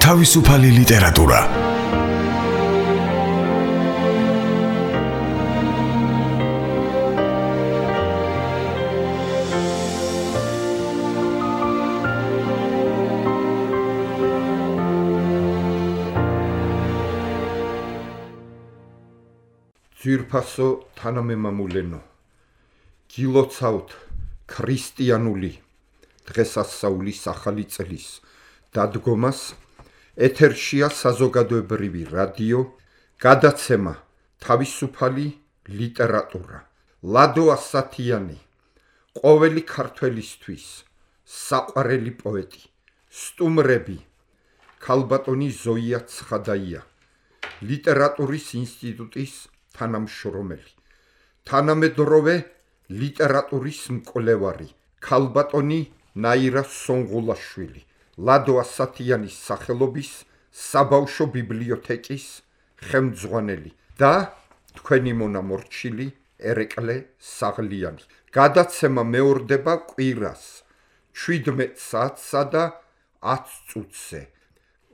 თავისუფალი ლიტერატურა. ძვირფასო თანამემამულენო, გილოცავთ ქრისტიანული დღესასწაულის ახალი წლის დადგომას. ეთერშია საზოგადოებრივი რადიო, გადაცემა თავისუფალი ლიტერატურა. ლადო ასათიანი, ყოველი ქართველისთვის საყვარელი პოეტი, სტუმრები, ქალბატონი ზოია ცხადაია, ლიტერატურის ინსტიტუტის თანამშრომელი, თანამედროვე ლიტერატურის მკვლევარი, ქალბატონი ნაირა სონღულაშვილი, ლადო ასათიანის სახელობის საბავშვო ბიბლიოთეკის ხელმძღვანელი და თქვენი მონამორჩილი ერეკლე საღლიანი. გადაცემა მეორდება კვირას 17 საათსა და 10 წუთზე.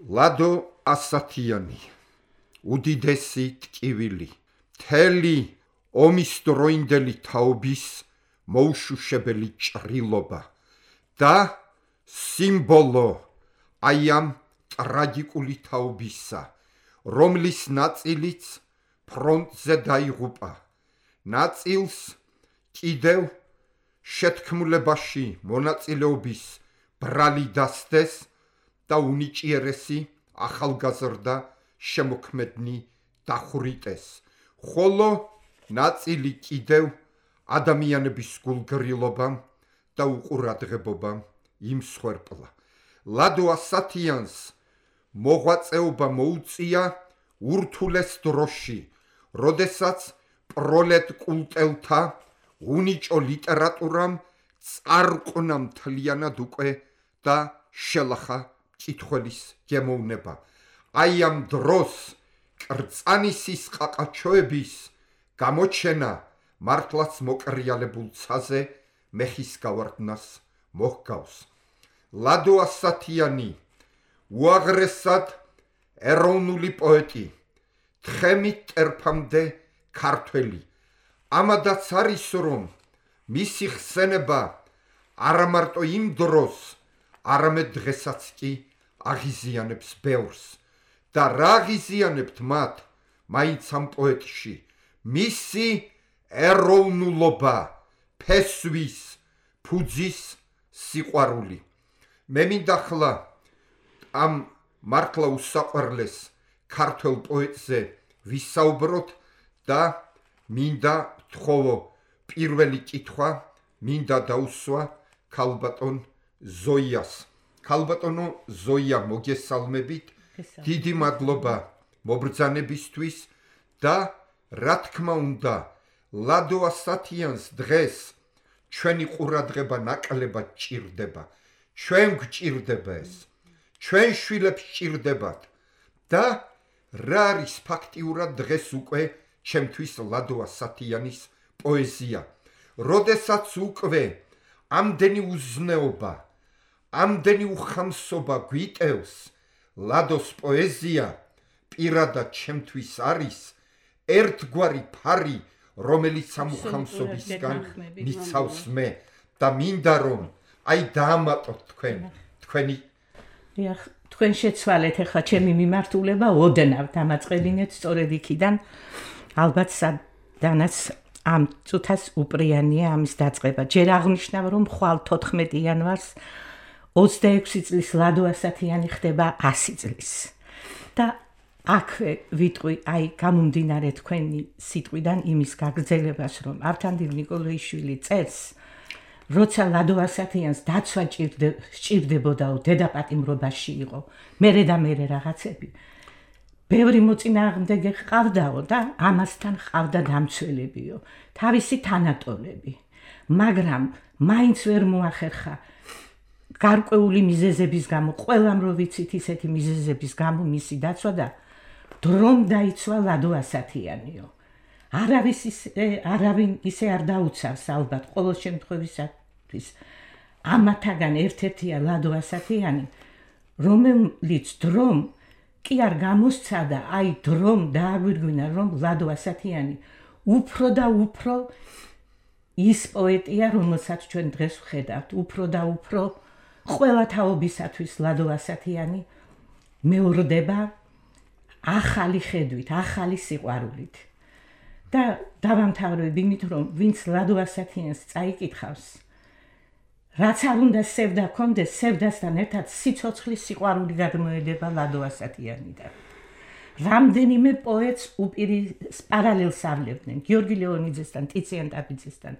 ლადო ასათიანი, უდიდესი ტკივილი, მთელი ომის დროინდელი თაობის მოუშუშებელი ჭრილობა და სიმბოლო აი ამ ტრაგიკული თაობისა, რომლის ნაწილიც ფრონტზე დაიღუპა, ნაწილს კიდევ შეთქმულებაში მონაწილეობის ბრალი დასდეს და უნიჭიერესი ახალგაზრდა შემოქმედნი დახვრიტეს, ხოლო ნაწილი კიდევ ადამიანების გულგრილობამ და უყურადღებობამ იმსხვერპლა. ლადო ასათიანს მოღვაწეობა მოუწია ურთულეს დროში, როდესაც პროლეტ კულტელთა უნიჭო ლიტერატურამ წარყვნა მთლიანად უკვე და შელახა მკითხველის გემოვნება. აი ამ დროს კრწანისის ყაყაჩოების გამოჩენა მართლაც მოკრიალებულ ცაზე მეხის გავარდნას მოჰგავს. ლადო ასათიანი უაღრესად ეროვნული პოეტი, თხემით ტერფამდე ქართველი. ამადაც არის, რომ მისი ხსენება არა მარტო იმ დროს, არამედ დღესაც კი აღიზიანებს ბევრს. და რა აღიზიანებთ მათ მაინც ამ პოეტში? მისი ეროვნულობა, ფესვის, ფუძის სიყვარული. მე მინდა ახლა ამ მართლა უსაყვარლეს ქართველ პოეტზე ვისაუბროთ და მინდა ვთხოვო პირველი კითხვა მინდა დაუსვა ქალბატონ ზოიას. ქალბატონო ზოია, მოგესალმებით, დიდი მადლობა მობრძანებისთვის და რა თქმა უნდა ლადო ასათიანს დღეს ჩვენი ყურადღება ნაკლებად ჭირდება. ჩვენ გვჭირდება ეს, ჩვენ შვილებს ჭირდებათ და რა არის ფაქტიურად დღეს უკვე ჩემთვის ლადო ასათიანის პოეზია, როდესაც უკვე ამდენი უზნეობა, ამდენი უხამსობა გვიტევს. ლადოს პოეზია პირადად ჩემთვის არის ერთგვარი ფარი, რომელიც ამ უხამსობისგან მიცავს მე და მინდა რომ აი დაამატოთ თქვენი თქვენ შეცვალეთ ახლა ჩემი მიმართულება ოდნავ დამაწყებინეთ სწორედ იქიდან, ალბათ სადანაც ამ წუთას უპრიანია ამის დაწყება. ჯერ აღნიშნავ, რომ ხვალ 14 იანვარს 26 წლის ლადო ასათიანი ხდება 100 წლის და აქვე ვიტყვი აი გამომდინარე თქვენი სიტყვიდან იმის გაგრძელებას, რომ ავთანდილ ნიკოლაიშვილი წერს, როცა ლადო ასათიანს დაცვა სჭირდებოდაო, დედაპატიმრობაში იყო, მერე და მერე რაღაცები, ბევრი მოწინააღმდეგე ჰყავდაო და ამასთან ჰყავდა დამცველებიო, თავისი თანატოლები, მაგრამ მაინც ვერ მოახერხა გარკვეული მიზეზების გამო, ყველამ რო ვიცით ისეთი მიზეზების გამო მისი დაცვა და დრომ დაიცვა ლადო ასათიანიო. არავინ ისე არ დაუცავს ალბათ, ყოველ შემთხვევისათვის ამათაგან ერთ-ერთია ლადო ასათიანი, რომელიც დრომ კი არ გამოსცადა, აი დრომ დააგვირგვინა, რომ ლადო ასათიანი უფრო და უფრო ის პოეტია, რომელსაც ჩვენ დღეს ვხედავთ, უფრო და უფრო ყველა თაობისათვის ლადო ასათიანი მეორდება ახალი ხედვით, ახალი სიყვარულით. და დავამთავრებ იმით, რომ ვინც ლადო ასათიანს წაიკითხავს, რაც არ უნდა სევდა კონდეს, სევდასთან ერთად სიცოცხლის სიყვარული გადმოედება ლადო ასათიანიდან. რამდენიმე პოეტს უპირის პარალელს ავლებდნენ, გიორგი ლეონიძესთან, ტიციან ტაბიძესთან,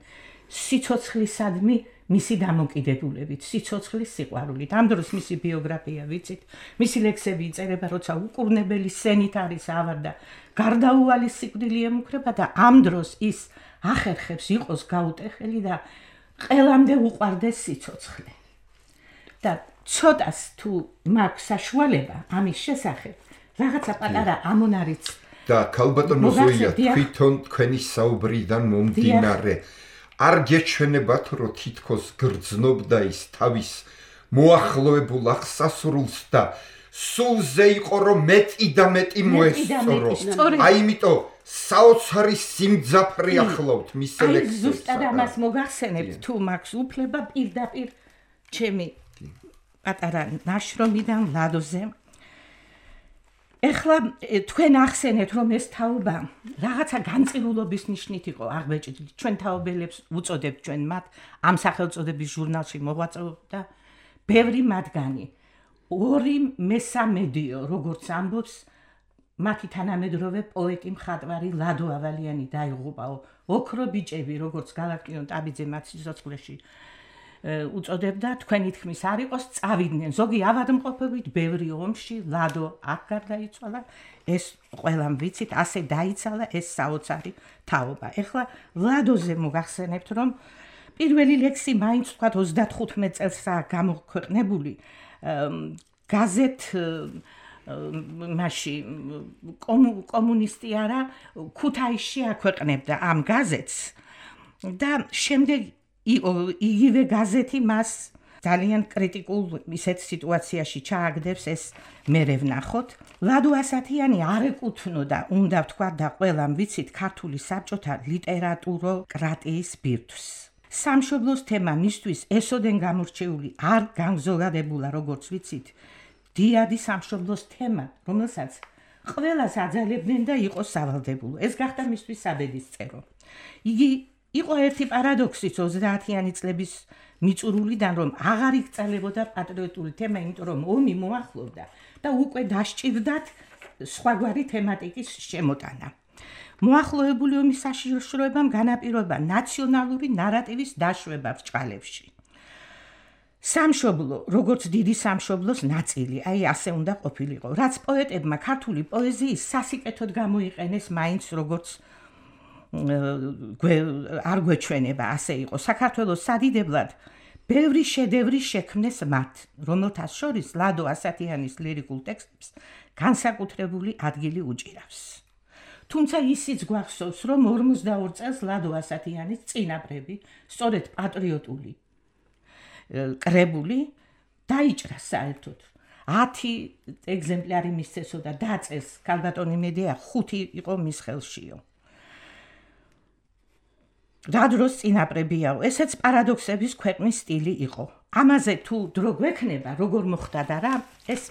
სიცოცხლისადმი მისი დამოკიდებულებით, სიცოცხლის სიყვარულით. ამ დროს მისი ბიოგრაფია ვიცით, მისი ლექსები იწერება, როცა უკურნებელი სენით არის ავარ და გარდაუვალი სიკვდილი ემუქრება და ამ დროს ის ახერხებს იყოს გაუტეხელი და ყველამდე უყვარდეს სიცოცხლე. და ცოტას თუ მაქვს საშუალება ამის შესახებ, რაღაცა პატარა ამონარიც და ქალბატონო ზოია, თვითონ თქვენი საუბრიდან მომდინარე არ გეჩვენებათ, რომ თითქოს გრძნობდა ის თავის მოახლოებულ აღსასრულს და სულზე იყო, რომ მეტი და მეტი მოესწორო. აი იმიტომ საოცარი სიმძაფრი ახლავთ მის ლექსებს. ზუსტად ამას მოგახსენებთ, თუ მაქვს უფლება პირდაპირ ჩემი პატარა ნაშრომიდან ლადოზე. ეხლა თქვენ ახსენეთ, რომ ეს თაობა რაღაცა განწირულობის ნიშნით იყო აღბეჭდილი. ჩვენ თაობელებს უწოდებთ ჩვენ მათ ამ სახელწოდების ჟურნალში მოღვაწეობდა ბევრი მათგანი. 2/3 როგორც ამბობს მათი თანამედროვე პოეტი მხატვარი ლადო ავალიანი დაიღუპაო. ოქრო ბიჭები, როგორც გალაკტიონ ტაბიძე მათ სიცოცხლეში უწოდებდა, თქვენი თქმის არ იყოს, წავიდნენ. ზოგი ავადმყოფობით, ბევრი ომში, ლადო აქ გარდაიცვალა, ეს ყველამ ვიცით, ასე დაიცალა ეს საოცარი თაობა. ეხლა ლადოზე მოგახსენებთ, რომ პირველი ლექსი მაინც თქვა 35 წელსაა გამოქვეყნებული გაზეთ მასში კომუნისტი არა, ქუთაისში აქვეყნებდა ამ გაზეთს და შემდეგ იგივე გაზეთი მას ძალიან კრიტიკულ ისეთ სიტუაციაში ჩააგდებს, ეს მერე ვნახოთ. ლადო ასათიანი არ ეკუთვნოდა, უნდა ვთქვა და ყველამ ვიცით, ქართული საბჭოთა ლიტერატუროკრატიის ბირთვს. სამშობლოს თემა მისთვის ესოდენ გამორჩეული არ განზოგადებულა, როგორც ვიცით, დიადი სამშობლოს თემა, რომელსაც ყველას აძალებდნენ და იყო სავალდებულო. ეს გახდა მისთვის საბედისწერო. იგი იყო ერთი პარადოქსიც 30-იანი წლების მიწურულიდან, რომ აღარ იკრძალებოდა პატრიოტული თემა, იმიტომ რომ ომი მოახლოვდა და უკვე დასჭირდათ სხვაგვარი თემატიკის შემოტანა. მოახლოებული ომის საშიშროებამ განაპირობა ნაციონალური ნარატივის დაშვება ბრჭყალებში. სამშობლო, როგორც დიდი სამშობლოს ნაწილი, აი ასე უნდა ყოფილიყო, რაც პოეტებმა ქართული პოეზიის სასიკეთოდ გამოიყენეს მაინც როგორც არ გვეჩვენება, ასე იყო. საქართველოს სადიდებლად ბევრი შედევრი შექმნეს მათ, რომელთა შორის ლადო ასათიანის ლირიკულ ტექსტებს განსაკუთრებული ადგილი უჭირავს. თუმცა ისიც გვახსოვს, რომ 42 წელს ლადო ასათიანის წინაპრები, სწორედ პატრიოტული კრებული დაიჭრა საერთოდ. 10 ეგზემპლარი მისცესო და დაწეს ქალბატონი მედია 5 იყო მის ხელშიო. რა დროს წინაპრებიაო, ესეც პარადოქსების ქვეყნის სტილი იყო. ამაზე თუ დრო გვექნება, როგორ მოხდა და რა, ეს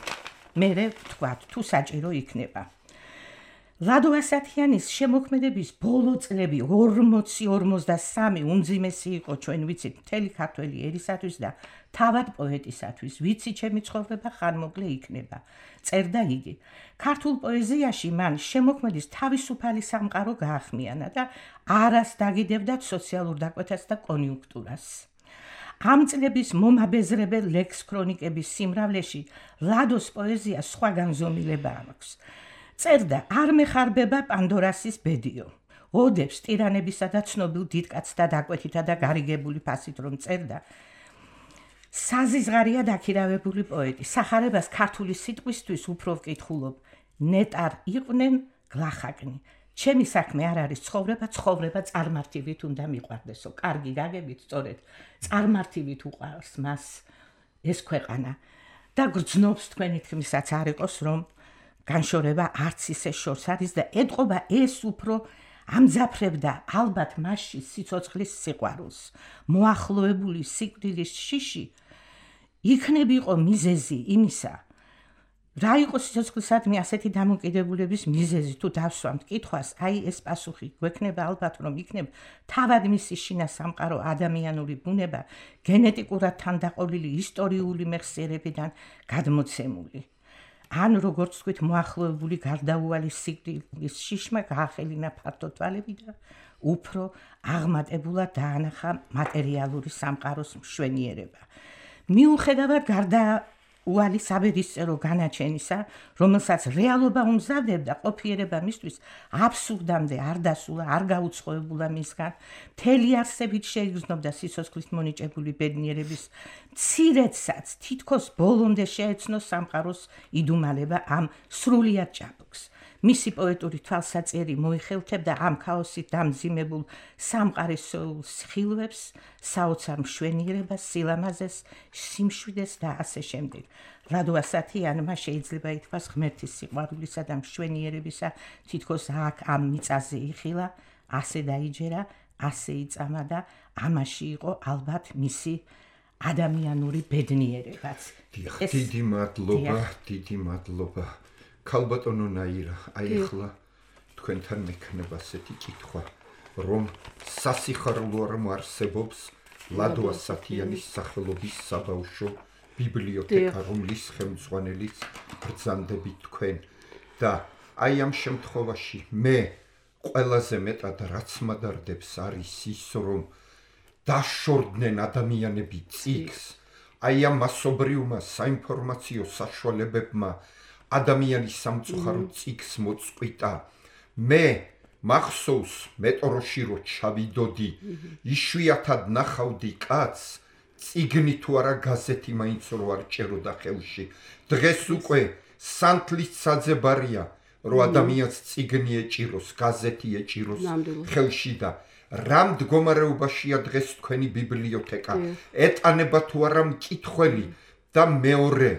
მერე ვთქვათ, თუ საჭირო იქნება. ლადო ასათიანის შემოქმედების ბოლო წლები 40-53 უმძიმესი იყო, ჩვენ ვიცით, მთელი ქართველი ერისათვის და თავად პოეტისათვის. ვიცი ჩემი ცხოვრება ხანმოკლე იქნება, წერდა იგი. ქართულ პოეზიაში მან შემოქმედის თავისუფალი სამყარო გაახმიანა და არას დაგიდებდა სოციალურ დაკვეთას და კონიუნქტურას. ამ წლების მომაბეზრებელ ლექს ქრონიკების სიმრავლეში ლადოს პოეზია სხვა განზომილება აქვს. წერდა არ მეხარბება პანდორასის ბედიო. ოდებს ტირანებისა და ცნობილ დიდკაცთა დაკვეთითა და გარიგებული ფასით რომ წერდა. საზიზღარია დაქირავებული პოეტი. სახარებას ქართული სიტყვისთვის უფრო ვკითხულობ. ნეტარ იყვნენ გლახაკნი. ჩემი საქმე არ არის ცხოვრება, ცხოვრება წარმართივით უნდა მიყვარდესო. კარგი გაგებით, სწორედ წარმართივით უყვარს მას ეს ქვეყანა. და გრძნობს თქვენი თქმისაც არ იყოს რომ განშორება არც ისე შორს არის და ეთყობა ეს უფრო ამძაფრებდა ალბათ მასში სიცოცხლის სიყვარულს მოახლოებული სიკვდილის შიში იქნებიყო მიზეზი იმისა რა იყო სიცოცხლისადმი ასეთი დამოკიდებულების მიზეზი თუ დავსვამთ კითხვას აი ეს პასუხი გვექნება ალბათ რომ იქნებ თავად მისი შინა სამყარო ადამიანური ბუნება გენეტიკურად თანდაყოლილი ისტორიული მეხსიერებიდან გადმოცემული ან როგორც თქვით მოახლოებული გარდაუვალი სიკვდილის შიშმა გაახელინა ფართო თვალები და უფრო აღმატებულად დაანახა მატერიალური სამყაროს მშვენიერება მიუხედავად გარდაუვალი საბედისწერო განაჩენისა რომელსაც რეალობა უმზადებდა ყოფიერება მისთვის აბსურდამდე არ დასულა არ გაუცხოებულა მისგან მთელი არსებით შეიგრძნობდა სიცოცხლის მონიჭებული ბედნიერების მცირედსაც თითქოს ბოლომდე შეეცნო სამყაროს იდუმალება ამ სრულიად ჭაბუკს მისი პოეტური თვალსაწერი მოიხელთებდა ამ ქაოსით დამძიმებულ სამყარის სხილვებს, საოცარ მშვენიერებას, სილამაზეს, სიმშვიდეს და ასე შემდეგ. რადო ასათიანმა შეიძლება ითქვას ღმერთის სიყვარულისა და მშვენიერებისა თითქოს აქ ამ მიწაზე იხილა, ასე დაიჯერა, ასე იწამა და ამაში იყო ალბათ მისი ადამიანური ბედნიერებაც. დიდი მადლობა. ქალბატონო ნაირა, აი ახლა თქვენთან მექნება ასეთი კითხვა, რომ სასიხარულო არ მოარსებობს ლადო ასათიანის სახელობის საბავშვო ბიბლიოთეკა, რომლის ხელმძღვანელიც ბრძანდებით თქვენ და აი ამ შემთხვევაში მე ყველაზე მეტად რაც მადარდებს არის ის, რომ დაშორდნენ ადამიანები წიგს, აი ამ მასობრივმა საინფორმაციო საშუალებებმა ადამიანის სამწუხარო წიგს მოწყვიტა. მე მახსოვს მეტროში რო ჩავიდოდი, იშვიათად ნახავდი კაცს, წიგნი თუ არა გაზეთი მაინც რო არ ჭეროდა ხელში. დღეს უკვე სანთლის საძებარია, რომ ადამიანს წიგნი ეჭიროს, გაზეთი ეჭიროს ხელში და რა მდგომარეობაშია დღეს თქვენი ბიბლიოთეკა? ეტანება თუ არა მკითხველი და მეორე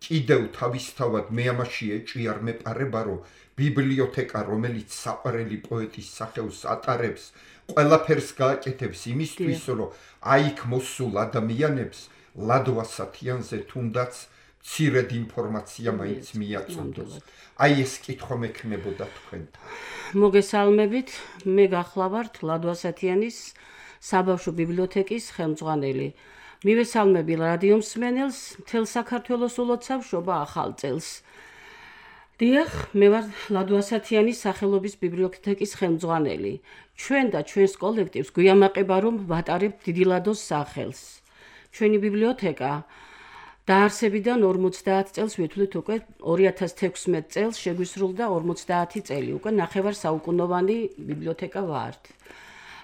კიდევ თავისთავად მე ამაში ეჭვი არ მეპარება, რომ ბიბლიოთეკა, რომელიც საყვარელი პოეტის სახელს ატარებს, ყველაფერს გააკეთებს იმისთვის, რომ აიქ მოსულ ადამიანებს ლადო ასათიანზე თუნდაც მცირედ ინფორმაცია მაინც მიაწოდოს. აი ეს კითხვა მექნებოდა თქვენთან. მოგესალმებით, მე გახლავართ ლადო ასათიანის საბავშვო ბიბლიოთეკის ხელმძღვანელი. მივესალმები რადიო მსმენელს, მთელ საქართველოს ულოცავ შობა ახალ წელს. დიახ, მე ვარ ლადო ასათიანის სახელობის ბიბლიოთეკის ხელმძღვანელი. ჩვენ და ჩვენს კოლექტივს გვიამაყება, რომ ვატარებთ დიდი ლადოს სახელს. ჩვენი ბიბლიოთეკა დაარსებიდან 50 წელს ვეთვლით უკვე 2016 წელს შეგვისრულდა 50 წელი, უკვე ნახევარ საუკუნოვანი ბიბლიოთეკა ვართ.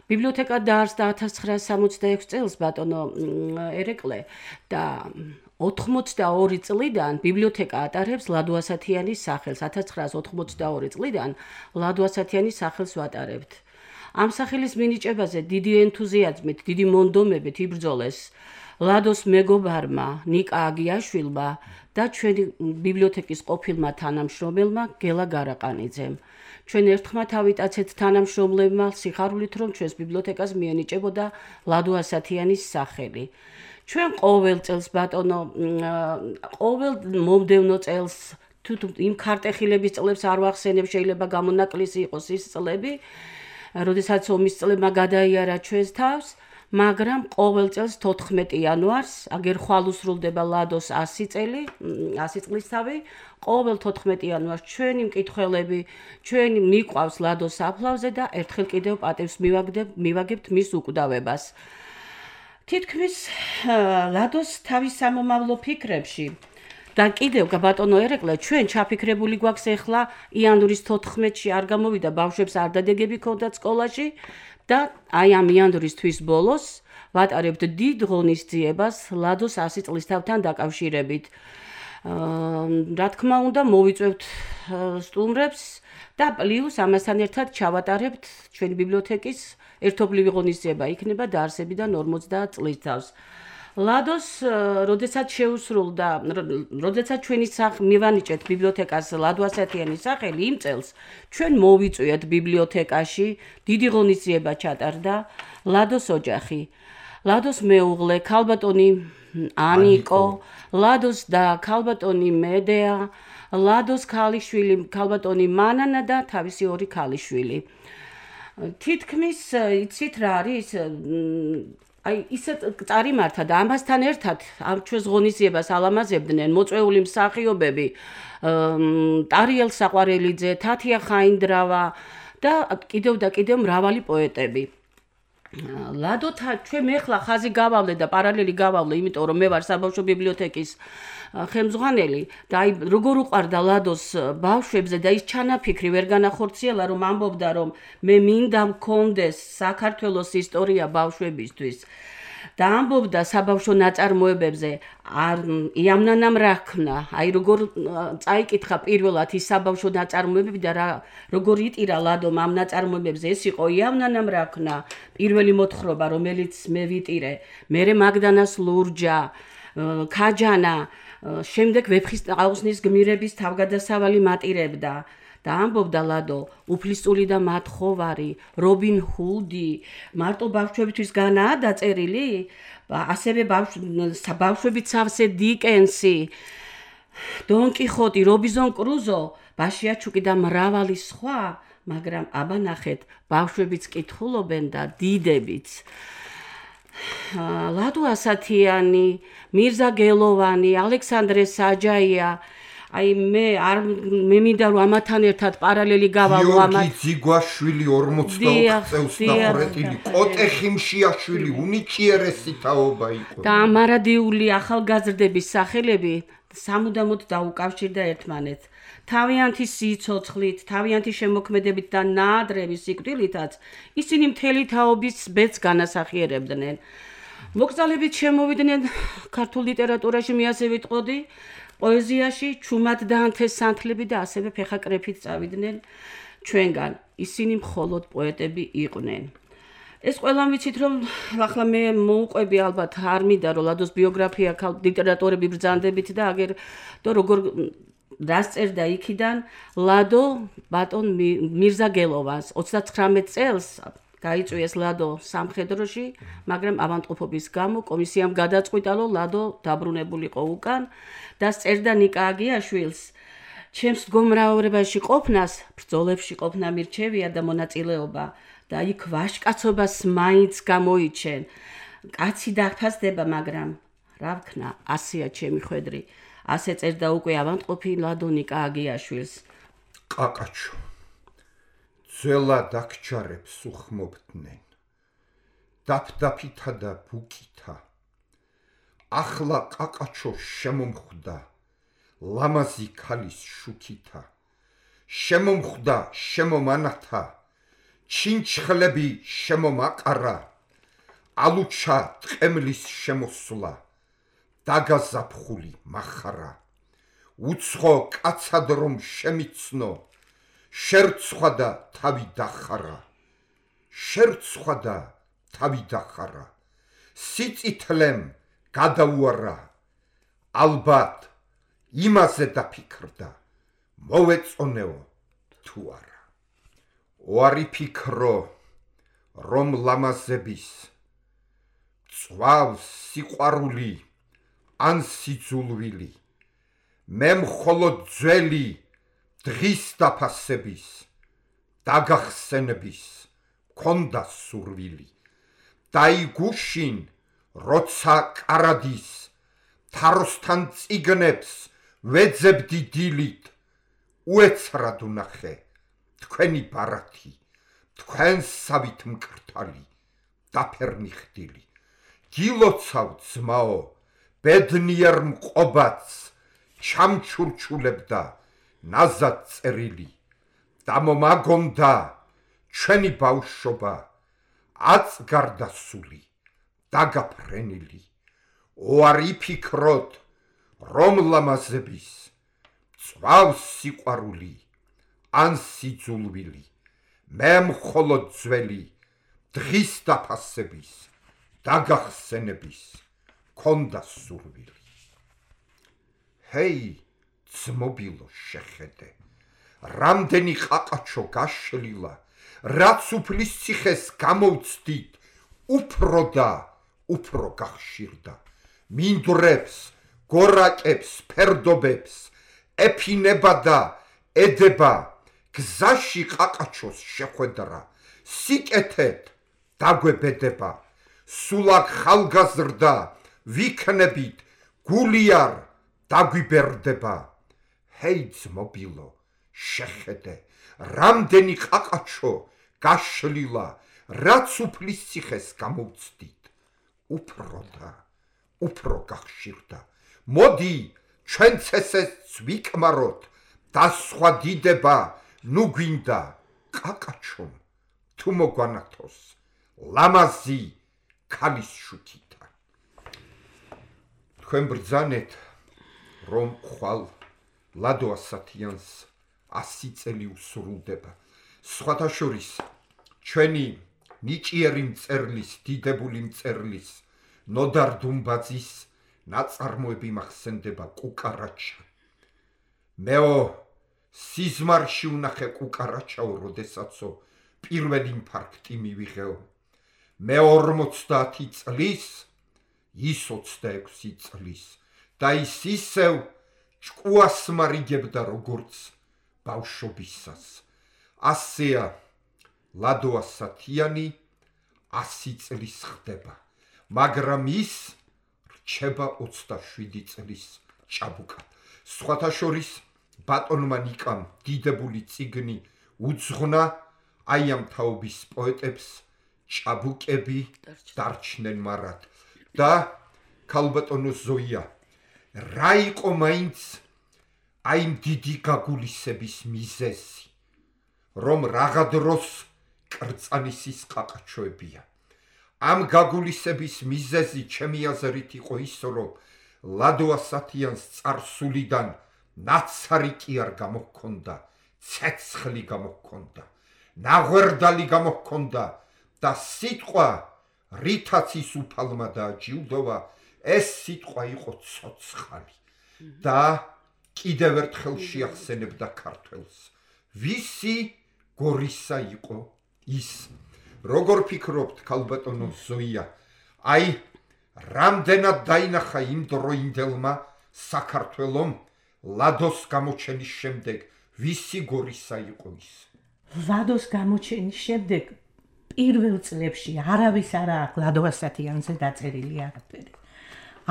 ბიბლიოთეკა დაარსდა 1966 წელს ბატონო ერეკლე და 82 წლიდან ბიბლიოთეკა ატარებს ლადო ასათიანის სახელს. 1982 წლიდან ლადო ასათიანის სახელს ვატარებთ. ამ სახელის მინიჭებაზე დიდი ენთუზიაზმით, დიდი მონდომებით იბრძოლეს ლადოს მეგობარმა ნიკა აგიაშვილმა და ჩვენი ბიბლიოთეკის ყოფილმა თანამშრომელმა გელა გარაყანიძემ. ჩვენ ერთხმად ავიტაცეთ თანამშრომლებმა სიხარულით, რომ ჩვენს ბიბლიოთეკას მიენიჭებოდა ლადო ასათიანის სახელი. ჩვენ ყოველ წელს ბატონო, ყოველ მომდევნო წელს თუ იმ ქარტეხილების წლებს არ ვახსენებ, შეიძლება გამონაკლისი იყოს ის წლები, როდესაც ომის წლებმა გადაიარა ჩვენს თავს, მაგრამ ყოველ წელს 14 იანვარს, აგერ ხვალ უსრულდება ლადოს 100 წელი, 100 წლისთავი, ყოველ 14 იანვარს ჩვენი მკითხველები, ჩვენი მიყვავს ლადოს საფლავზე და ერთხელ კიდევ პატევს მივაგებთ მის უკვდავებას. თითქმის ლადოს თავის სამომავლო ფიქრებში და კიდევ ბატონო ერეკლე, ჩვენ ჩაფიქრებული გვაქვს ახლა იანვრის 14-ში არ გამოვიდა ბავშვებს არ დადეგები ქონდათ სკოლაში და აი ამ იანვრის თვის ბოლოს ვატარებთ დიდ ღონისძიებას ლადოს 100 წლისთავთან დაკავშირებით. რა თქმა უნდა, მოვიწევთ სტუმრებს და პლუს ამასთან ერთად ჩავატარებთ ჩვენი ბიბლიოთეკის ერთობლივი ღონისძიება იქნება დაარსებიდან 50 წლის თავს. ლადოს, როდესაც შეუსრულდა, როდესაც ჩვენი მივანიჭეთ ბიბლიოთეკას ლადო ასათიანის სახელი იმ წელს, ჩვენ მოვიწვიეთ ბიბლიოთეკაში, დიდი ღონისძიება ჩატარდა ლადოს ოჯახი. ლადოს მეუღლე, ქალბატონი ანიკო, ლადოს და ქალბატონი მედეა, ლადოს ქალიშვილი, ქალბატონი მანანა და თავისი ორი ქალიშვილი. თითქმის იცით რა არის? აი ისეთ წარიმართა და ამასთან ერთად ჩვენს ღონისძიებას ალამაზებდნენ მოწვეული მსახიობები, ტარიელ საყვარელიძე, თათია ხაინდრავა და კიდევ მრავალი პოეტები. ლადოთა ჩვენ მე ხლა ხაზი გავავლე და პარალელი გავავლე, იმიტომ რომ მე ვარ საბავშვო ბიბლიოთეკის ხელმძღვანელი და აი როგორ უყვარდა ლადოს ბავშვებზე და ის ჩანაფიქრი ვერ განახორციელა, რომ ამბობდა რომ მე მინდა მქონდეს საქართველოს ისტორია ბავშვებისთვის და ამბობდა საბავშვო ნაწარმოებებზე იამნანამ რა ქნა, აი როგორ წაიკითხა პირველად ის საბავშვო ნაწარმოებები და როგორ იტირა ლადომ ამ ნაწარმოებებზე, ეს იყო იამნანამ რა ქნა, პირველი მოთხრობა, რომელიც მე ვიტირე, მერე მაგდანას ლურჯა, ქაჯანა, შემდეგ ვეფხის აუზნის გმირების თავგადასავალი მატირებდა და ამბობდა ლადო, უფლისწული და მათხოვარი, რობინ ჰუდი, მარტო ბავშვებისთვის განაა დაწერილი, ასევე ბავშვებით სავსე დიკენსი, დონ კიხოტი, რობინზონ კრუზო, ბაშიაჩუკი და მრავალი სხვა, მაგრამ აბა ნახეთ, ბავშვებიც კითხულობენ და დიდებიც. ლადო ასათიანი, მირზა გელოვანი, ალექსანდრე საჯაია, აი მე მინდა რომ ამათთან ერთად პარალელი გავალო გიორგი ძიგვაშვილი 44 წელს დახურეტილი, კოტე ხიმშიაშვილი უნიჭიერესი თაობა იყო. და ამარადიული ახალგაზრდების სახელები სამუდამოდ დაუკავშირდა ერთმანეთს. თავიანთი სიცოცხლით, თავიანთი შემოქმედებით და ნაადრევი სიკვდილითაც ისინი მთელი თაობის ბედს განასახიერებდნენ. მოკრძალებით შემოვიდნენ ქართულ ლიტერატურაში, მე ასე ვიტყოდი, პოეზიაში, ჩუმად დაანთეს სანთლები და ასევე ფეხაკრეფით წავიდნენ ჩვენგან. ისინი მხოლოდ პოეტები იყვნენ. ეს ყველა ვიცით რომ ახლა მე მოუყვები ალბათ არ მინდა რომ ლადოს ბიოგრაფია ლიტერატორები ბრძანდებით და აგერ და როგორ დასწერდა იქიდან ლადო ბატონ მირზა გელოვანს 39 წელს გაიწვიეს ლადო სამხედროში, მაგრამ ავადმყოფობის გამო კომისიამ გადაწყვიტა რომ ლადო დაბრუნებულიყო უკან და წერდა ნიკა აგიაშვილს ჩემს მდგომარეობაში ყოფნას, ბრძოლებში ყოფნა მირჩევია და მონაწილეობა და იქ ვაჟკაცობას მაინც გამოიჩენ. კაცი დაფასდება, მაგრამ რა ვქნა, ასეა ჩემი ხვედრი. ასე წერდა უკვე ავადმყოფი ლადო ნიკა აგიაშვილს. კაკაჩო ძვლა დაგჩარებს უხმობდნენ. დაფდაფითა და ბუკითა. ახლა კაკაჩო შემომხვდა ლამაზი ქალის შუქითა. შემომხვდა შემომანათა. ჩინჩხლები შემომაყარა. ალუჩა ტყემლის შემოსვლა. დაგაზაფხული მახარა. უცხო კაცად რომ შემიცნო. შერცხვა და თავი დახარა. შერცხვა და თავი დახარა. სიწითლემ გადაუარა. ალბათ იმაზე დაფიქრდა. მოვეწონეო თუ არა. ოარი ფიქრო რომ ლამაზების წვავს სიყვარული ან სიძულვილი. მე მხოლოდ ძველი დღის დაფასების დაგახსენების მქონდა სურვილი. დაიგუშინ როცა კარადის თაროსთან წიგნებს ვეძებდი დილით. უეცრად ვნახე თქვენი ბარათი, თქვენსავით მკრთალი დაფერნი ხდილი. გილოცავ ძმაო ბედნიერ მყობაც ჩამჩურჩულებდა ნაზად წერილი. დამომაგონდა ჩვენი ბავშვობა აწგარდასული დაგაფრენილი. ოარი ფიქროთ რომ ლამაზების წვავს სიყვარული ან სიძულვილი. მე მხოლოდ ძველი დღის დაფასების დაგახსენების ქონდა სურვილი. ჰეი, ძმობილო შეხედე, რამდენი ყაყაჩო გაშლილა, რაც უფლის ციხეს გამოვცდით, უფრო და უფრო გახშირდა. მინდვრებს, გორაკებს, ფერდობებს ეფინება და ედება, გზაში ყაყაჩოს შეხვედრა, სიკეთეთ დაგვებედება, სულაკ ხალგაზრდა ვიქნებით, გულიარ დაგვიბერდება. ჰეი ძმობილო, შეხედე, რამდენი ყაყაჩო გაშლილა, რაც უფლის ციხეს გამოვცდით, უფრო და უფრო გახშირდა. მოდი, ჩვენც ესეც ვიკმაროთ და სხვა დიდება ნუ გვინდა ყაყაჩომ თუ მოგვანათოს ლამაზი ქალის შუთითა. თქვენ ბრძანეთ, რომ ხვალ ლადო ასათიანს 100 წელი უსრულდება. სხვათა შორის ჩვენი ნიჭიერი მწერლის, დიდებული მწერლის, ნოდარ დუმბაძის ნაწარმოები მახსენდება კუკარაჩა. მეო სიზმარში უნახე კუკარაჩაო, როდესაცო პირველი ინფარქტი მივიღეო. მე 50 წლის, ის 26 წლის და ის ისევ ჭკუას მარიგებდა როგორც ბავშვობისას. ასეა ლადო ასათიანი 100 წლის ხდება, მაგრამ ის რჩება 27 წლის ჭაბუკად. სხვათა შორის ბატონმა ნიკამ დიდებული წიგნი უძღვნა, აი ამ თაობის პოეტებს ჭაბუკები დარჩნენ მარად. და ქალბატონო ზოია, რა იყო მაინც აი ამ დიდი გაგულისების მიზეზი, რომ რაღა დროს კრწანისის ყაყაჩოებია. ამ გაგულისების მიზეზი ჩემი აზრით იყო ის, რომ ლადო ასათიანს წარსულიდან ნაცარი კი არ გამოჰქონდა, ცეცხლი გამოჰქონდა, ნაღვერდალი გამოჰქონდა და სიტყვა რითაც ის უფალმა დააჯილდოვა, ეს სიტყვა იყო ცოცხალი. და კიდევ ერთხელ შეახსენებდა ქართველს, ვისი გორისა იყო ის. როგორ ფიქრობთ, ქალბატონო ზოია, აი რამდენად დაინახა იმ დროინდელმა საქართველომ ლადოს გამოჩენის შემდეგ, ვისი გორისა იყო ის? ლადოს გამოჩენის შემდეგ პირველ წლებში არავის არ აქვს ლადო ასათიანზე დაწერილი არაფერი.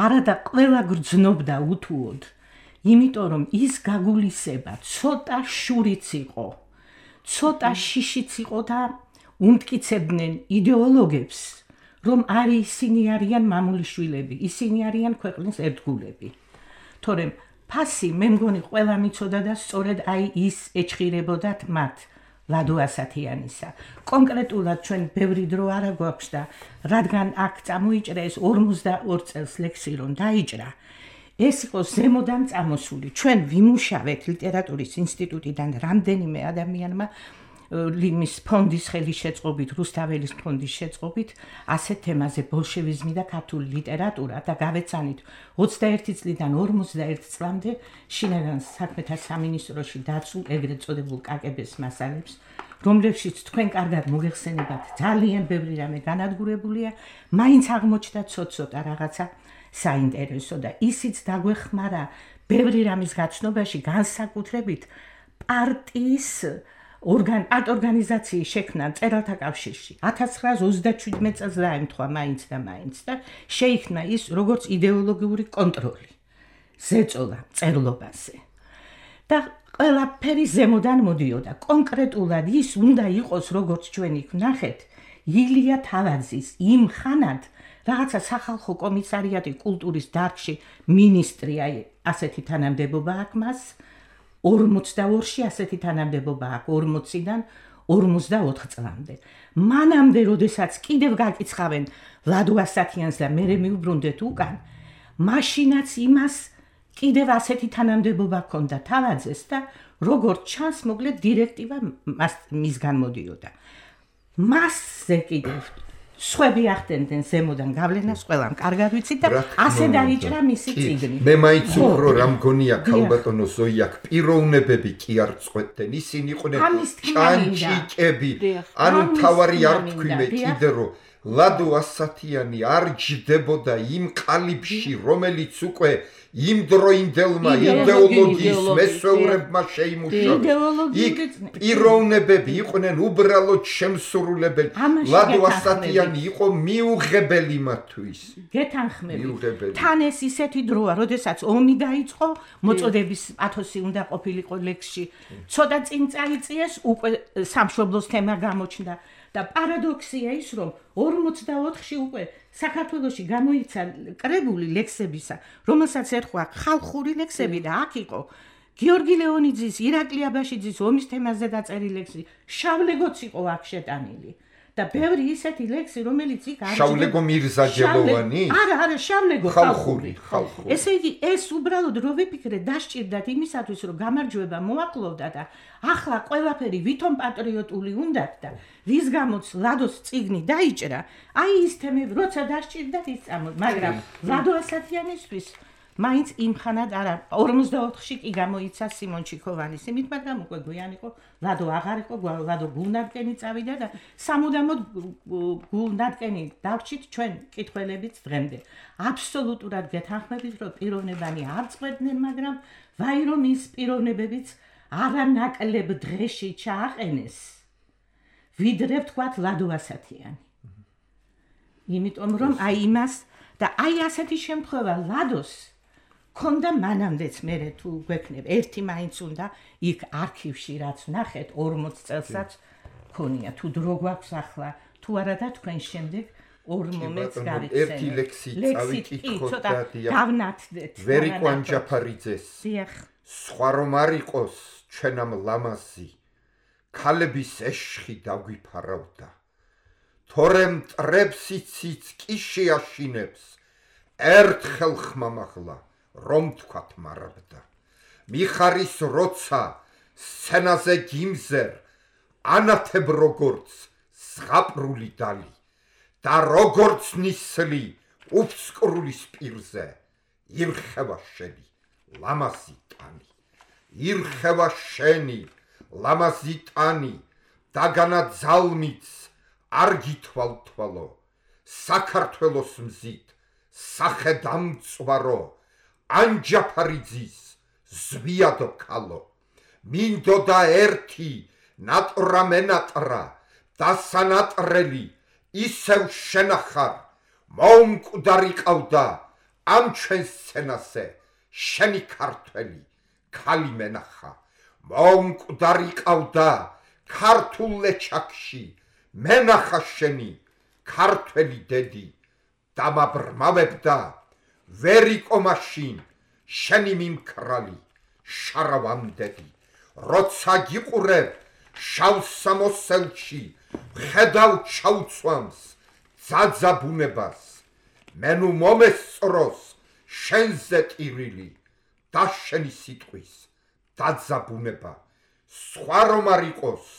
არა და ყველა გრძნობდა უთუოდ, იმიტომ რომ ის გაგულისება ცოტა შურიც იყო, ცოტა შიშიც იყო და უმტკიცებდნენ იდეოლოგებს, რომ არის ისინი არიან მამულიშვილები, ისინი არიან ქვეყნის ერთგულები. თორემ ფასი მე მგონი ყველა მიცოდა და სწორედ აი ის ეჭხირებოდათ მათ ლადო ასათიანისა. კონკრეტულად ჩვენ ბევრი დრო არ გვაქვს და რადგან აქ წამოიჭრა ეს 42 წელს ლექსი რომ დაიჭრა, ეს იყო ზემოდან წამოსული. ჩვენ ვიმუშავეთ ლიტერატურის ინსტიტუტიდან რამდენიმე ადამიანმა ლიმის ფონდის ხელის შეწყობით, რუსთაველის ფონდის შეწყობით, ასეთ თემაზე ბოლშევიზმი და ქართული ლიტერატურა და გავეცანით 21 წლიდან 51 წლამდე შინაგან საქმეთა სამინისტროში დაცულ ეგრეთ წოდებულ კაკების მასალებს, რომლებშიც თქვენ კარგად მოგეხსენებათ, ძალიან ბევრი რამე განადგურებულია, მაინც აღმოჩნდა ცოტ-ცოტა რაღაცა საინტერესო და ისიც დაგვეხმარა ბევრი რამის გაცნობაში, განსაკუთრებით პარტიის ორგანიზაციის შექმნა მწერალთა კავშირში 1937 წელს დაემთხვა მაინც და შეიქმნა ის როგორც იდეოლოგიური კონტროლი ზეწოლა მწერლობაზე და ყველაფერი ზემოდან მოდიოდა. კონკრეტულად ის უნდა იყოს, როგორც ჩვენ იქ ვნახეთ, ილია თავაძის იმ ხანად რაღაცა სახალხო კომისარიატი კულტურის დარგში მინისტრი, აი ასეთი თანამდებობა აქვს მას 42-ში ასეთი თანამდებობა აქვს 40-დან 54 წლამდე. მანამდე, როდესაც კიდევ გაკიცხავენ ლადო ასათიანს და მე მიუბრუნდეთ უკან, მაშინაც იმას კიდევ ასეთი თანამდებობა ჰქონდა თავაძეს და როგორც ჩანს, მოკლედ დირექტივა მისგან მოდიოდა. მასზე კიდევ სხვები ახდენდნენ ზემოდან გავლენას, ყველამ კარგად ვიცით და ასე დაიჭრა მისი წიგნი. მე მაინც უფრო რა მგონია ქალბატონო ზოიაკ პიროვნებები კი არ წყვეტდნენ, ისინი იყვნენ ჭანჭიკები. ანუ თავარი არ თქვი მე კიდე რომ ლადო ასათიანი არ ჯდებოდა იმ ყალიბში, რომელიც უკვე იმდროინდელმა იდეოლოგიის მესვეურებმა შეიმუშავეს. იქ პიროვნებები იყვნენ უბრალოდ შემსრულებელი. ლადო ასათიანი იყო მიუღებელი მათთვის. გეთანხმებით. თან ეს ისეთი დროა, როდესაც ომი დაიწყო, მოწოდების პათოსი უნდა ყოფილიყო ლექსში. ცოტა წინ წაიწიეს, უკვე სამშობლოს თემა გამოჩნდა. და პარადოქსია ის, რომ 44-ში უკვე საქართველოში გამოიცა კრებული ლექსებისა, რომელსაც ერქვა ხალხური ლექსები და აქ იყო გიორგი ლეონიძის, ირაკლი აბაშიძის ომის თემაზე დაწერილი ლექსი, შავლეგოც იყო აქ შეტანილი. და ბევრი ისეთი ლექსი, რომელიც იქ არ შავლეგო მირზაჯელოვანი? არა, შავლეგო ხალხური. ესე იგი, ეს უბრალოდ რო ვიფიქრე, დასჭირდათ იმისათვის, რომ გამარჯვება მოაკლოვდა და ახლა ყველაფერი ვითომ პატრიოტული უნდათ და ვის გამოც ლადოს წიგნი დაიჭრა, აი ის თემები, როცა დასჭირდათ ის წამოდი, მაგრამ ლადო ასათიანისთვის მაინც იმხანად არა 44-ში კი გამოიცა სიმონ ჩიქოვანის იმით, მაგრამ უკვე გვიან იყო ლადო აღარ იყო, ლადო გულნარკენი წავიდა და სამუდამოდ გულნარკენი დავრჩით ჩვენ კითხველებიც დღემდე. აბსოლუტურად გეთანხმებით, რომ პიროვნებანი არ წყვეტდნენ, მაგრამ ვაი რომ ის პიროვნებებიც არანაკლებ დღეში ჩააყენეს. ვიდრე ვთქვათ ლადო ასათიანი. იმიტომ რომ აი იმას და აი ასეთი შემთხვევა ლადოს ქონდა მანამდეც მე თუ გვექნებ ერთი მაინც უნდა იქ არქივში რაც ნახეთ 40 წელსაც ქონია თუ დრო გვაქვს ახლა თუ არა და თქვენ შემდეგ 40-ს გავიხსენებთ ერთი ლექსი წავიკითხოთ და დავნათდეთ ვერიკვან ჯაფარიძეს დიახ სხვა რომ არ იყოს ჩვენამ ლამაზი ქალების ეშხი დაგვიფარავდა თორემ მტრებს იცით კი შეაშინებს ერთხელ ხმამაღლა რომ თქვათ მარაბდა მიხარის როცა სცენაზე გიმზერ ანათებ როგორც ზღაპრული დალი და როგორც ნისლი უფსკრულის პირზე ირხევა შენი ლამაზი ტანი ირხევა შენი ლამაზი ტანი დაგანა ძალმიც არ გითვალთვალო საქართველოს მზით სახე დამწვარო ანჯაფარიძის ზვიადო ქალო მინდოდა ერთი ნატრა მენატრა და სანატრელი ისევ შენახარ მომკვდარი ყავდა ამ ჩვენ სცენაზე შენი ქართველი ქალი მენახა მომკვდარი ყავდა ქართულ ლეჩაკში მენახა შენი ქართველი დედი დამაბრმავებდა ვერიკო მაშინ შენი მიმქრალი შარავამდედი როცა გიყურებ შავ სამოსელში ხედავ ჩაუცვამს ძაძა ბუნებას მენუ მომესწროს შენზე ტირილი და შენი სიტყვის დაძა ბუნება სხვა რომ არ იყოს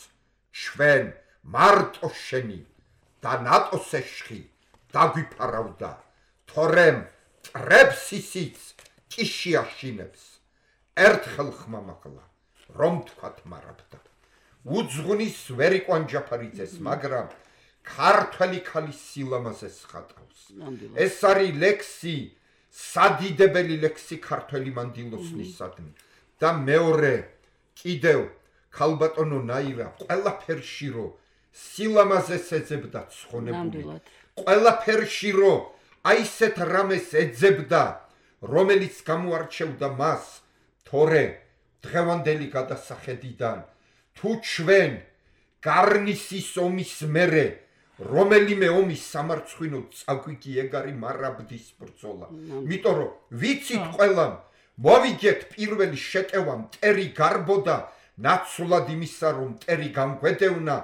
ჩვენ მარტო შენი და ნატოს ეშხი დაგვიფარავდა თორემ ტრებს ისიც კი შეაშინებს ერთხელ ხმამაღლა რომ თქვათ მარაბდა უძღვნის ვერიკვან ჯაფარიძეს მაგრამ ქართველი ქალის სილამაზეს ხატავს ეს არის ლექსი სადიდებელი ლექსი ქართველი მანდილოსნისადმი და მეორე კიდევ ქალბატონო ნაირა ყველაფერში რო სილამაზეს ეძებდა ცხონებული ყველაფერში რო აი ესეთ რამეს ეძებდა რომელიც გამოარჩევდა მას თორე დღევანდელი გადასახედიდან თუ ჩვენ გარნისის ომის მერე რომელიმე ომის სამარცხვინო წაგვიგი ეგ არის მარაბდის ბრძოლა იმიტომ რომ ვიცით ყველამ მოვიგეთ პირველი შეტევა მტერი გარბოდა ნაცვლად იმისა რომ მტერი გამგვედევნა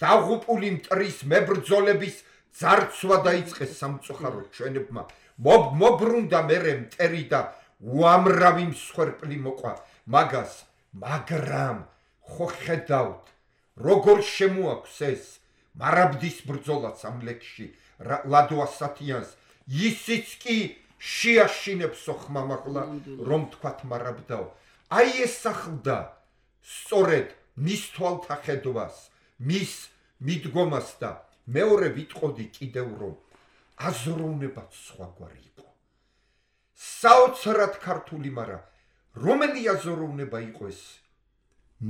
დაღუპული მტრის მებრძოლების ძარცვა დაიწყეს სამწუხაროდ ჩვენებმა მობრუნდა მერე მტერი და უამრავი მსხვერპლი მოყვა მაგრამ ხო ხედავთ როგორ შემოაქვს ეს მარაბდის ბრძოლაც ამ ლექსში ლადო ასათიანს ისიც კი შეაშინებსო ხმამაღლა რომ თქვათ მარაბდაო აი ეს ახლდა სწორედ მის თვალთახედვას მის მიდგომას და მეორე ვიტყოდი კიდევ რომ აზროვნებაც სხვაგვარი იყო საოცრად ქართული მაგრამ რომელი აზროვნება იყო ეს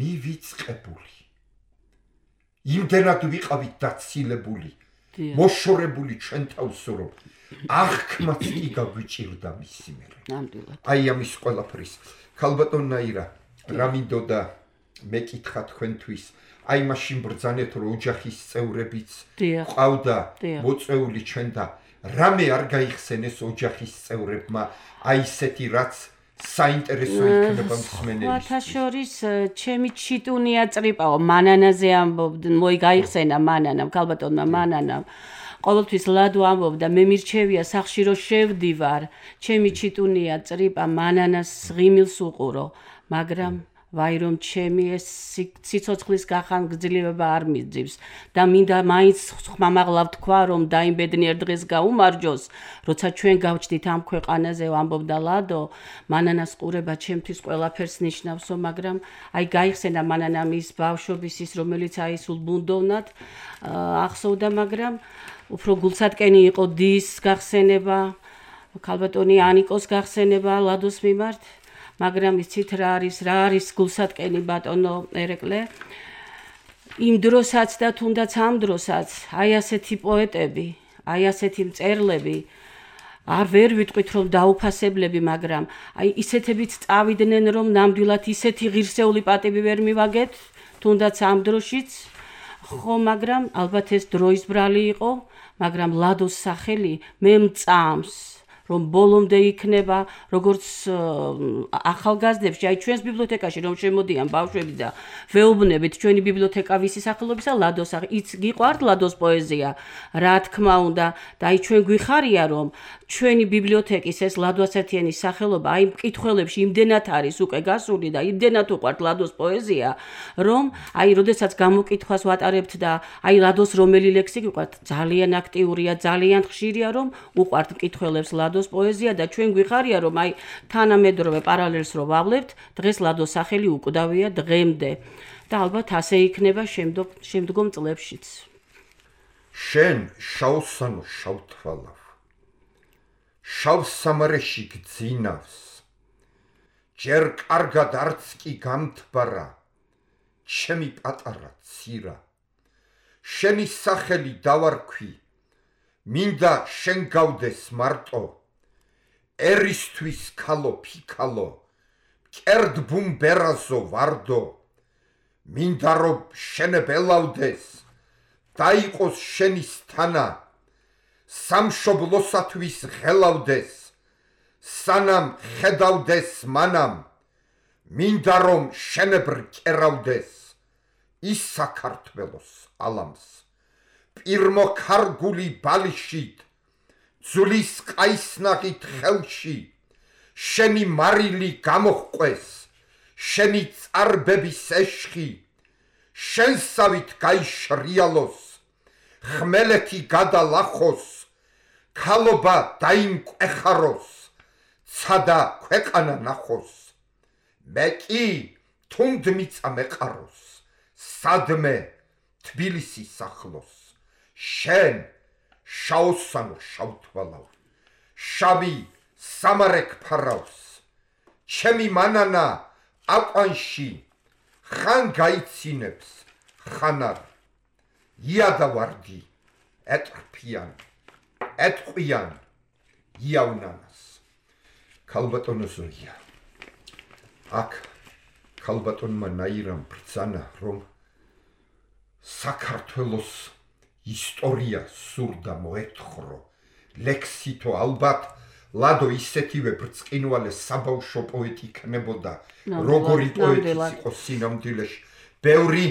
მივიწყებული იმდენად ვიყავით დაცილებული მოშორებული ჩვენ თავსო რომ აღქმაც კი გაგვიჭირდა მისი მერე ნამდვილად აი ამის ყველაფრის ქალბატონ ნაირა რა მინდოდა მეკითხა თქვენთვის აი მაშინ ბრძანეთ რომ ოჯახის წევრებიც ყავდა მოწეული ჩვენ და რამე არ გაიხსენეს ოჯახის წევრებმა აი ესეთი რაც საინტერესო იქნება მსმენელისთვის. სხვათა შორის ჩემი ჩიტუნია წრიპაო მანანაზე ამბობდნენ, მოი გაიხსენა მანანამ, ქალბატონმა მანანამ. ყოველთვის ლადო ამბობდა, მე მირჩევია სახში რომ შევდივარ, ჩემი ჩიტუნია წრიპა მანანას ღიმილს უყურო, მაგრამ ვაი რომ ჩემი ეს ციცოცხლის გახანგრძლივება არ მიძივს და მინდა მაინც ხმამაღლა ვთქვა რომ დაიმბედნიერ დღეს გაუმარჯოს როცა ჩვენ გავჩდით ამ ქვეყანაზე ამბობდა ლადო მანანას ყურება ჩემთვის ყველაფერს ნიშნავსო მაგრამ აი გაიხსენა მანანამ ის ბავშვობის ის რომელიც აი სულ ბუნდოვნად ახსოვდა მაგრამ უფრო გულსატკენი იყო დის გახსენება ქალბატონი ანიკოს გახსენება ლადოს მიმართ მაგრამ იცით რა არის გულსატკენი ბატონო ერეკლე იმ დროსაც და თუნდაც ამ დროსაც აი ასეთი პოეტები აი ასეთი მწერლები არ ვერ ვიტყვით რომ დაუფასებლები მაგრამ აი ისეთებიც წავიდნენ რომ ნამდვილად ისეთი ღირსეული პატივი ვერ მივაგეთ თუნდაც ამ დროშიც ხო მაგრამ ალბათ ეს დროის ბრალი იყო მაგრამ ლადოს სახელი მე მწამს რომ ბოლომდე იქნება როგორც ახალგაზრდებში აი ჩვენს ბიბლიოთეკაში რომ შემოდიან ბავშვები და ვეუბნებით ჩვენი ბიბლიოთეკა ვისი სახელობისა ლადოს იც გიყვართ ლადოს პოეზია რა თქმა უნდა და აი ჩვენ გვიხარია რომ ჩვენი ბიბლიოთეკის ეს ლადო ასათიანის სახელობა აი მკითხველებში იმდენად არის უკვე გასული და იმდენად უყვართ ლადოს პოეზია რომ აი როდესაც გამოკითხვას ვატარებთ და აი ლადოს რომელი ლექსი გიყვართ ძალიან აქტიურია ძალიან ხშირია რომ უყვართ მკითხველებს ლადოს პოეზია და ჩვენ გვიხარია რომ აი თანამედროვე პარალელს რო ვავლებთ დღეს ლადოს სახელი უკვდავია დღემდე და ალბათ ასე იქნება შემდგომ წლებშიც შენ შავსანო შავთვალავ შავ სამარეში გძინავს ჯერ კარგად არც კი გამთბარა ჩემი პატარა ცირა შენი სახელი დავარქვი მინდა შენ გავდეს მარტო ერისთვის ქალო ფიქალო კერდ ბუმბერაზო ვარდო მინდა რომ შენებელავდეს დაიყოს შენის თანა სამშობლოსათვის ღელავდეს სანამ ხედავდეს მანამ მინდა რომ შენებრ კერავდეს ის საქართველოს ალამს პირმო ქარგული ბალიშით ძulis ყაისნაღით ხელში შენი მარილი გამოჰყვეს შენი წარბების ეშხი შენსავით გაიშრიალოს ხმელეთი გადალახოს ქალობა დაიმკვეხაროს ცადა ქვეყანა ნახოს მე კი თუნდ მიწა მეყაროს სადმე თბილისის ახლოს შენ შაოსანო შავთვალავ შავი სამარეკ ფარავს ჩემი მანანა აყვანში ხან გაიცინებს ხანარ იადა ვარდი ეტყფიან ეტყვიან იავნანას ქალბატონო ზოია აქ ქალბატონმა ნაირამ ბრძანა რომ საქართველოს ისტორია სურდა მოეთხრო ლექსითო ალბათ ლადო ისეთივე ბრწყინვალე საბავშვო პოეტი იქნებოდა როგორი პოეტიც იყო სინამდვილეში ბევრი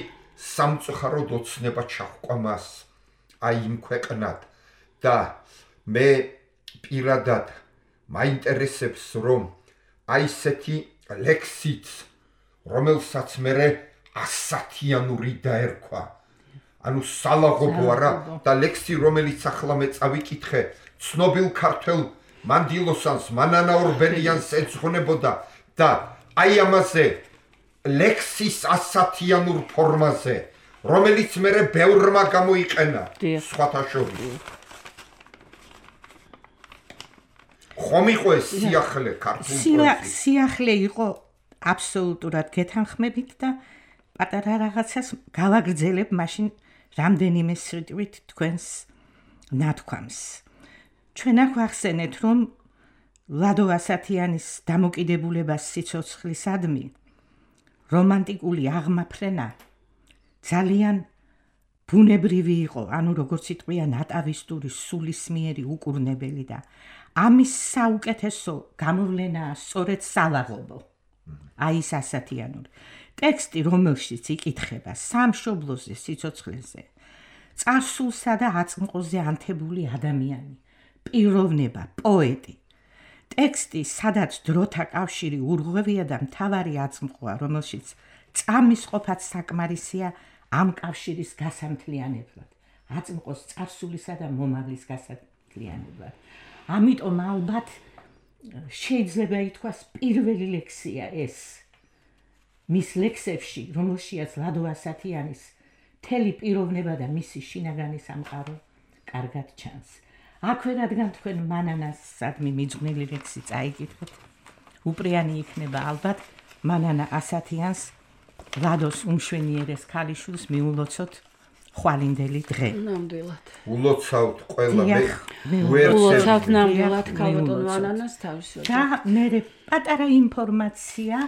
სამწუხაროდ ოცნება ჩაჰყვა მას აი იმ ქვეყნად და მე პირადად მაინტერესებს რომ აი ესეთი ლექსიც რომელსაც მე ასათიანური დაერქვა ანუ სალაღობო არა და ლექსი რომელიც ახლა მე წავიკითხე ცნობილ ქართველ მანდილოსანს მანანა ორბელიანს ეძღვნებოდა და აი ამაზე ლექსის ასათიანურ ფორმაზე რომელიც მერე ბევრმა გამოიყენა სხვათა შორის ხომ იყო ეს სიახლე ქართულ პოეზიაში სიახლე იყო აბსოლუტურად გეთანხმებით და პატარა რაღაცას გავაგრძელებ მაშინ რამდენიმე სიტყვით თქვენს ნათქვამს ჩვენ ახსენეთ რომ ლადო ასათიანის დამოკიდებულებას სიცოცხლისადმი რომანტიკული აღმაფრენა ძალიან ბუნებრივი იყო ანუ როგორც იტყვია ნატავისტური სულისმიერი უკურნებელი და ამის საუკეთესო გამოვლენაა სწორედ სალაღობო აი ეს ასათიანური ტექსტი რომელშიც იკითხება სამშობლოზე სიცოცხლეზე წარსულსა და აწმყოზე ანთებული ადამიანი პიროვნება პოეტი ტექსტი სადაც დროთა კავშირი ურღვევია და მთავარი აწმყოა რომელშიც წამის ყოფაც საკმარისია ამ კავშირის გასამთლიანებლად აწმყოს წარსულისა და მომავლის გასამთლიანებლად ამიტომ ალბათ შეიძლება ითქვას პირველი ლექსია ეს მის ლექსებში რომელშიაც ლადო ასათიანის მთელი პიროვნება და მისი შინაგანი სამყარო კარგად ჩანს აქვე რადგან თქვენ მანანასადმი მიძღვნილი ლექსი წაიკითხეთ უპრიანი იქნება ალბათ მანანა ასათიანს ლადოს უმშვენიერეს ქალიშვილს მიულოცოთ ხვალინდელი დღე ნამდვილად ულოცავთ ყველა მე ულოცავთ ნამდვილად ქალბატონ მანანას თავისუფლად და მე პატარა ინფორმაცია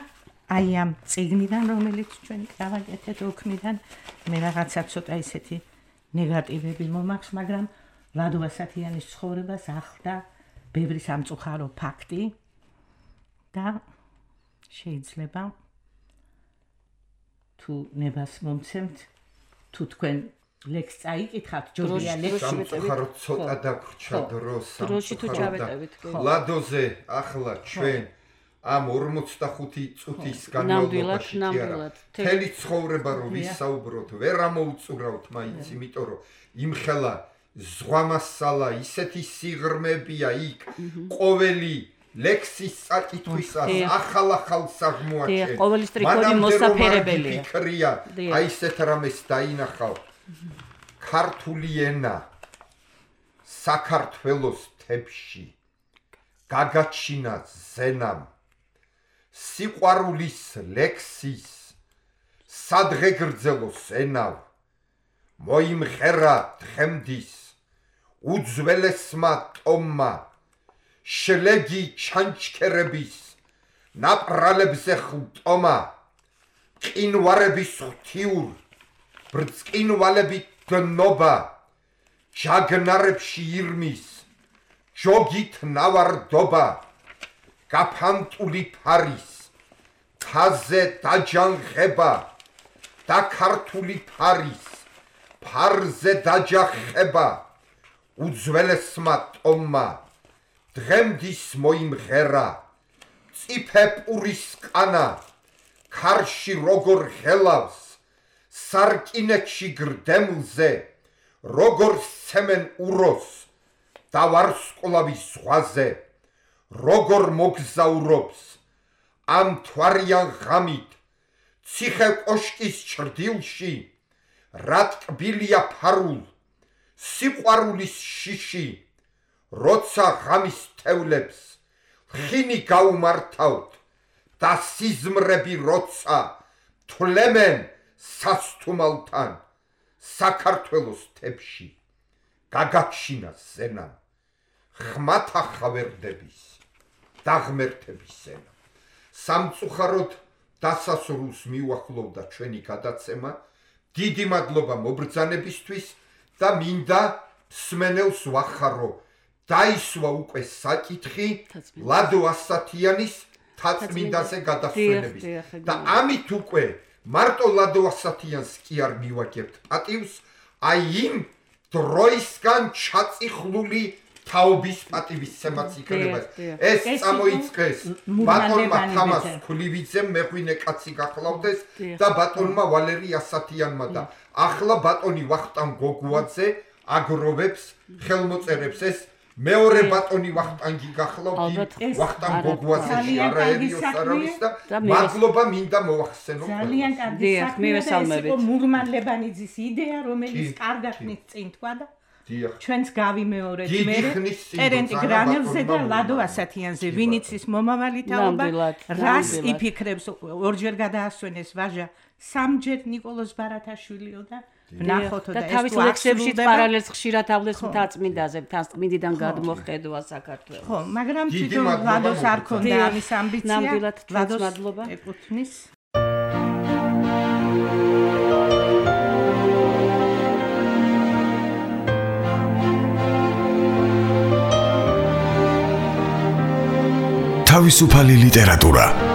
აი ამ წიგნიდან რომელიც ჩვენ გავაკეთეთ ოქმიდან მე რაღაცა ცოტა ისეთი ნეგატივები მომაქვს მაგრამ ლადო ასათიანის ცხოვრებას ახლდა ბევრი სამწუხარო ფაქტი და შეიძლება თუ ნებას მომცემთ თუ თქვენ ლექს წაიკითხავთ ჯობია ლექსი სამწუხარო ცოტა დაგვრჩა დროში თუ ჩავეტევით ლადოზე ახლა ჩვენ ამ 45 წუთის განმავლობაში მთელი ცხოვრება რომ ვისაუბროთ ვერ ამოუწურავთ მაინც იმიტომ რომ იმხელა ზღვამასალა ისეთი სიღრმეებია იქ ყოველი ლექსის საკითხვისას ახალ საღმოაჩენ ყოველი სტრიქონი მოსაფერებელია ფიქრია აი ესეთ რამეს დაინახავ ქართული ენა საქართველოს თებში გაგაჩინა ზენამ სიყვარულის ლექსის სადღე გრძელოს ენავ მოიმღერა დღემდის უძველესმა ტომმა შლეგი ჩანჩქერების ნაპრალებზე ხტომა ყინვარების ღვთიურ ბრწყინვალებით დნობა ჯაგნარებში ირმის ჯოგით ნავარდობა გაფანტული ფარის თაზე დაჯანხება და ქართული ფარის ფარზე დაჯახება უძველესმა ტომმა დღემდის მოიმღერა წიფე პურის ყანა ქარში როგორ ღელავს სარკინეთში გრდემლზე როგორ სცემენ უროს და ვარსკვლავის ზღვაზე როგორ მოგზაურობს ამ თვარიან ღამით ციხე კოშკის ჩრდილში რა ტკბილია ფარულ სიყვარულის შიში როცა ღამის თევლებს ხინი გაუმართავთ და სიზმრები როცა თვლემენ სასთუმალთან საქართველოს თებში გაგაჩინა ზენა ხმათა ხავერდების დაღმერთების ზენა სამწუხაროდ დასასრულს მიუახლოვდა ჩვენი გადაცემა დიდი მადლობა მობრძანებისთვის და მინდა მსმენელს ვახარო დაისვა უკვე საკითხი ლადო ასათიანის თაწმინდაზე გადასვენების და ამით უკვე მარტო ლადო ასათიანს კი არ მივაგებთ პატივს აი იმ დროისგან ჩაწიხლული თაობის პატივისცემაც იქნება. ეს წამოიწყეს ბატონმა თამას ქულივიძემ მეღვინე კაცი გახლავდეს და ბატონმა ვალერი ასათიანმა და ახლა ბატონი ვახტანგ გოგუაძე აგროვებს ხელმოწერებს ეს მეორე ბატონი ვახტანგი გახლავთ ვახტანგ გოგუაძეში არაერიოს არავის და მადლობა მინდა მოახსენო ძალიან კარგი საქმე იყო მურმანლებანიძის იდეა რომელიც კარგად წინ თქვა და ჩვენს გავიმეორეთ მე ტერენტი გრანელზე და ლადო ასათიანზე ვინიც ის მომავალი თაობა რას იფიქრებს ორჯერ გადაასვენეს ვაჟა სამჯერ ნიკოლოზ ბარათაშვილიო და ნახოთო და თავის ლექსებში პარალელს ხშირად ავლეს მთაწმინდაზე მთაწმინდიდან გადმოხედვა საქართველოს ხო მაგრამ თვითონ ლადოს არ ქონდა ამის ამბიცია ნამდვილად ლადოს მადლობა ეკუთვნის თავისუფალი ლიტერატურა